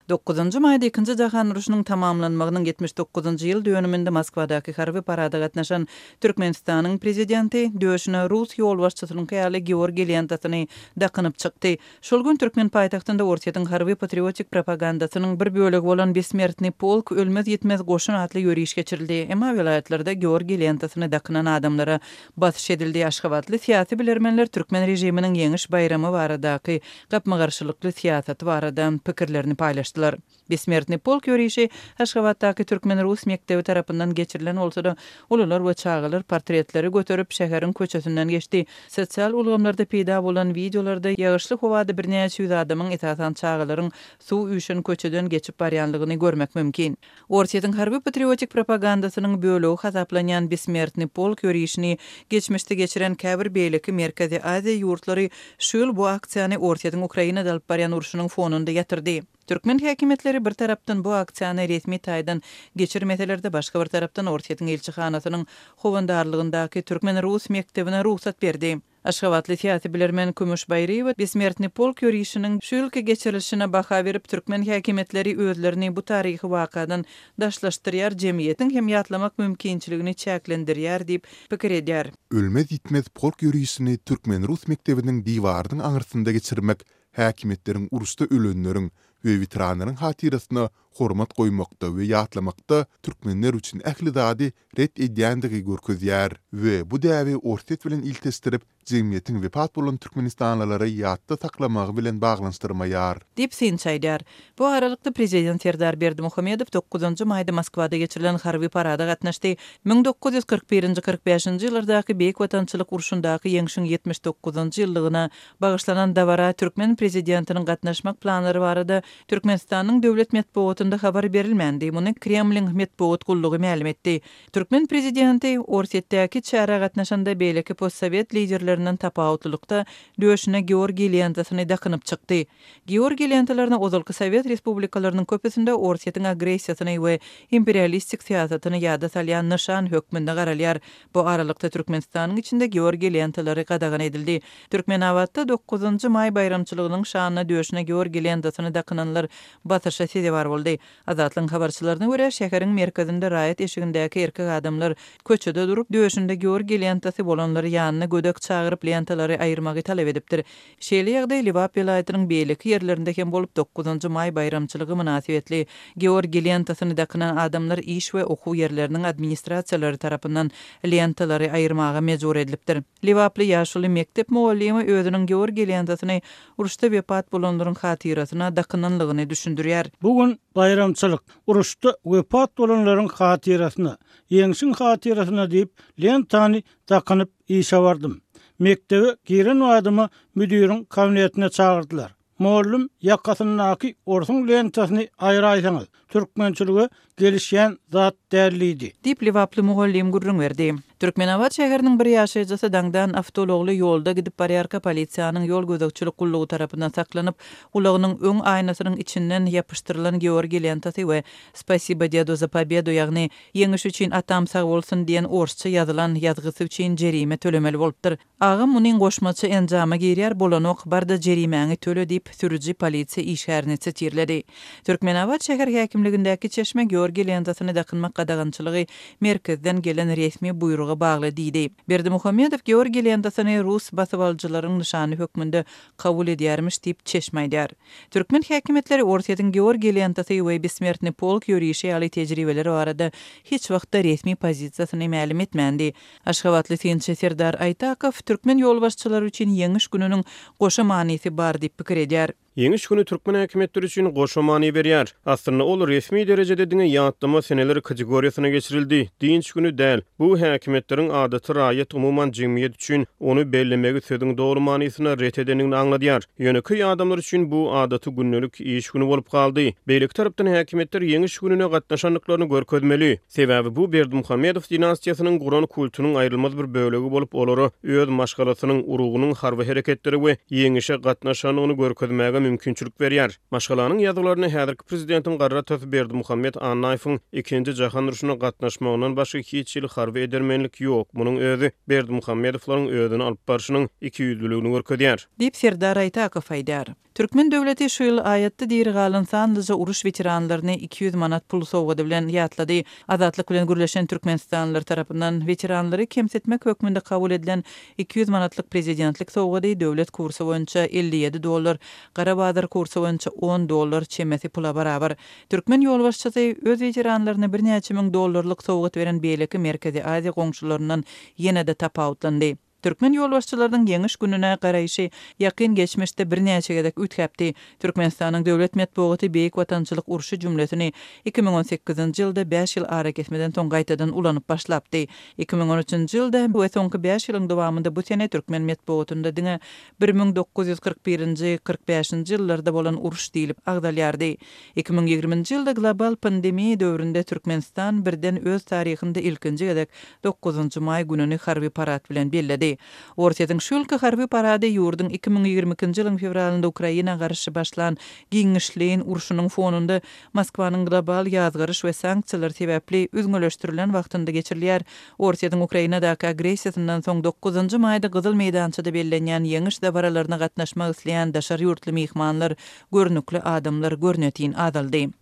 Dokuzynjy maýda Ikinji jahan urşunyň tamamlanmagynyň 79-njy ýyl dönüminde Moskwadaky harby parada gatnaşan Türkmenistanyň Prezidenti döşüne rus ýolbaşçysynyňky ýaly georgiý lentasyny dakynyp çykdy. Şol gün türkmen paýtagtynda Orsýetiň harby-patriotik propagandasynyň bir bölegi bolan Bessmertnyý polk, Ölmez-ýitmez goşun atly ýöriş geçirildi. Emma welaýatlarda georgiý lentasyny dakynan adamlara basyş edildi. Aşgabatly syýasy bilermenler türkmen režiminiň Ýeňiş baýramy baradaky gapma-garşylykly syýasaty barada pikirlerini paýlaşdylar. Bessmertnyý polk ýörişi Aşgabatdaky türkmen-rus mekdebi tarapyndan geçirilen bolsa-da, ulular we çagalar portretleri göterip, şäheriň köçesinden geçdi. Sosial ulgamlarda peýda bolan wideolarda ýagyşly howada birnäçe ýüz adamyň, esasan çagalaryň suw üýşen köçeden geçip barýanlygyny görmek mümkin. Orsýetiň harby-patriotik propagandasynyň bölegi hasaplanýan Bessmertnyý polk ýörişini geçmişde geçiren käbir beýleki Merkezi Aziýa ýurtlary şu ýyl bu aksiýany Orsýetiň Ukrainada alyp barýan urşunyň fonunda ýatyrdy. Türkmen häkimiýetleri bir tarapdan bu aksiýany resmi taýdan geçirmeseler-de, başga bir tarapdan Orsýetiň ilçihanasynyň howandarlygyndaky türkmen-rus mekdebine rugsat berdi. Aşgabatly syýasy bilermen Kümüş Baýryýewa Bessmertnyý polk ýörişiniň şu ýylky geçirilişine baha berip, türkmen häkimiýetleri özlerini bu taryhy wakadan daşlaşdyrýar, jemgyýetiň hem ýatlamak mümkinçiligini çäklendirýär diýip pikir edýär. Ölmez-ýitmez polk ýörişini türkmen-rus mekdebiniň diwarynyň aňyrsynda geçirmek häkimiýetleriň uruşda ölenleriň we weteranlaryň hatyrasyna hormat goýmakda we ýatlamakda türkmenler üçin ähli zady ret edýändigi görkezýär we bu däbi Orsýet bilen ilteşdirip, jemgyýetiň wepat bolan türkmenistanlylary ýatda saklamagy bilen baglanyşdyrmaýar. Diýip, synçy aýdýar. Bu aralykda, prezident Serdar Berdimuhamedow dokuzynjy maýda Moskwada geçirilen harby parada gatnaşdy. 1941-nji, 45-nji ýyllardaky Beýik Watançylyk urşundaky ýeňşiň 79-njy ýyllygyna bagyşlanan dabara türkmen prezidentiniň gatnaşmak planlary barada Türkmenistanyň döwlet metbugatynda habar berilmändi, muny Kremliň metbugat gullugy mälim etdi. Türkmen prezidenti Orsýetdäki çärä gatnaşanda beýleki postsowet liderlerinden tapawutlylykda döşüne georgiý lentasyny dakynyp çykdy. Georgiý lentalaryna ozalky sowet respublikalarynyň köpüsinde Orsýetiň agressiýasyny we imperialistik syýasatyny ýada salýan nyşan hökmünde garalýar. Bu aralykda Türkmenistanyň içinde georgiý lentalary gadagan edildi. Türkmenabatda dokuzynjy maý baýramçylygynyň şanyna döşüne georgiý lentasyny dakynanlar basyşa sezewar boldy. Azatlygyň habarçylaryna görä, şäheriň merkezinde raýat eşigindäki erkek adamlar köçede durup, döşünde georgiý lentasy bolanlary ýanyna gödek çagyryp lentalary aýyrmagy talap edipdir. Şeýle ýagdaý Lebap welaýatynyň beýleki ýerlerinde hem bolup, dokuzynjy maý baýramçylygy mynasybetli georgiý lentasyny dakynan adamlar iş we okuw ýerleriniň administrasiýalary tarapyndan lentalary aýyrmaga mejbur edilipdir. Lebaply ýaşuly mekdep mugallymy özüniň georgiý lentasyny uruşda wepat bolanlaryň hatyrasyna dakynanlygyny düşündirýär. Bu gün baýramçylyk. Uruşda wepat bolanlaryň hatyrasyna, Ýeňşiň hatyrasyna diýip, lentany dakynyp işe bardym. Mekdebe giren badyma müdiriň kabinetine çagyrdylar. Mollum, ýakasyndaky orsuň lentasyny aýraýsaňyz, türkmençilige gelişýän zat däl diýdi. Diýip, lebaply mugallym gürrüň berdi. Türkmenabat şäheriniň bir ýaşaýjysy daňdan awtoulagly ýolda gidip barýarka polisiýanyň ýol gözegçilik gullugy tarapyndan saklanyp, ulagynyň öň aýnasynyň içinden ýapyşdyrylan georgiý lentasy we Spasibo dedu za pobedu ýagny Ýeňiş üçin atam sag bolsun diýen orsça ýazylan ýazgysy üçin jerime tölemeli bolupdyr. Agam munyň goşmaça enjama girýär bolanok barda jerimäňi töle diýip sürüji polisiýa işgärini sitirledi. Türkmenabat şäher häkimligindäki çeşme Georgiý lentasyny dakynmak gadagançylygy merkezden gelen resmi buýruga bagly diýdi. Berdimuhamedow Georgiý lentasyny rus basybalyjylaryň nyşany hökmünde kabul edýärmiş diýip çeşme aýdýar. Türkmen häkimiýetleri Orsýetiň Georgiý lentasy we Bessmertnyý polk ýörişi ýaly tejribeler barada hiç wagtda resmi pozisiýasyny mälim etmändi. Aşgabatly synçy Serdar Aýtakow türkmen ýolbaşçylary üçin Ýeňiş gününiň goşa manysy bar diýip pikir edýär. Ýeňiş güni türkmen häkimiýetleri üçin goşa many berýär. Aslynda ol resmi derejede diňe ýatlama seneler kategoriýasyna geçirildi, dynç güni däl. Bu häkimiýetleriň adaty raýat, umuman jemgyýet üçin ony bellemegi sözüň doly manysynda ret edendigini aňladýar. Ýönekeý adamlar üçin bu adaty gündelik iş güni bolup galdy. Beýleki tarapdan häkimiýetler Ýeňiş gününe gatnaşandyklaryny görkezmeli. Sebäbi bu Berdimuhamedow dinastiýasynyň guran kultunyň aýrylmaz bir bölegi bolup, olara öz maşgalasynyň, urugynyň harby hereketlere we ýeňişe gatnaşandygyny görkezmäge mümkinçilik berýär. Maşgalanyň ýazgylarynda häzirki prezidentiň garry atasy Berdimuhamet Annaýewiň Ikinji jahan urşuna gatnaşmagyndan başga hiç hili harby edermenlik ýok. Munuň özi Berdimuhamedowlaryň özüni alyp barşynyň ikiýüzlüligini görkezýär. Diýip, Serdar Aýtakow aýdýar. Türkmen döwleti şu ýyl aýatda diri galan sanlyja uruş weteranlaryny 200 manat pul sowgady bilen ýatlady. Azatlyk bilen gürleşen türkmenistanlylar tarapyndan weteranlary kemsitmek hökmünde kabul edilen 200 manatlyk prezidentlik sowgady döwlet kursy boýunça 57 dollar, gara bazar kursy boýunça on dollar çemesi pula barabar. Türkmen ýolbaşçysy öz weteranlaryna birnäçe müň dollarlyk sowgat beren beýleki Merkezi Aziýa goňşularyndan ýene-de tapawutlandy. Türkmen ýolbaşçylarynyň Ýeňiş gününe garaýşy ýakyn geçmişde birnäçe gezek üýtgäpdi. Türkmenistanyň döwlet metbugaty Beýik Watançylyk urşy jümlesini 2018-nji ýylda bäş ýyl arakesmeden soň gaýtadan ulanyp başlapdy. 2013-nji ýylda we soňky bäş ýylyň dowamynda bu sene türkmen metbugatynda diňe 1941-nji, 45-nji ýyllarda bolan uruş diýlip agzalýardy. 2020-nji ýylda global pandemiýa döwründe Türkmenistan birden öz taryhynda ilkinji gezek Dokuzynjy maý gününi harby parad bilen belledi. Orsýetiň şu ýylky harby parady ýurduň 2022-nji ýylyň fewralynda Ukraina garşy başlan giňişleýin urşunyň fonunda Moskwanyň global ýazgaryş we sanksiýalar sebäpli üzňeleşdirilen wagtynda geçirilýär. Orsýetiň Ukrainadaky agressiýasyndan soň dokuzynjy maýda Gyzyl meýdançada bellenýän Ýeňiş dabaralaryna gatnaşmak isleýän daşary ýurtly myhmanlar, görnükli adamlar görnetin azaldy.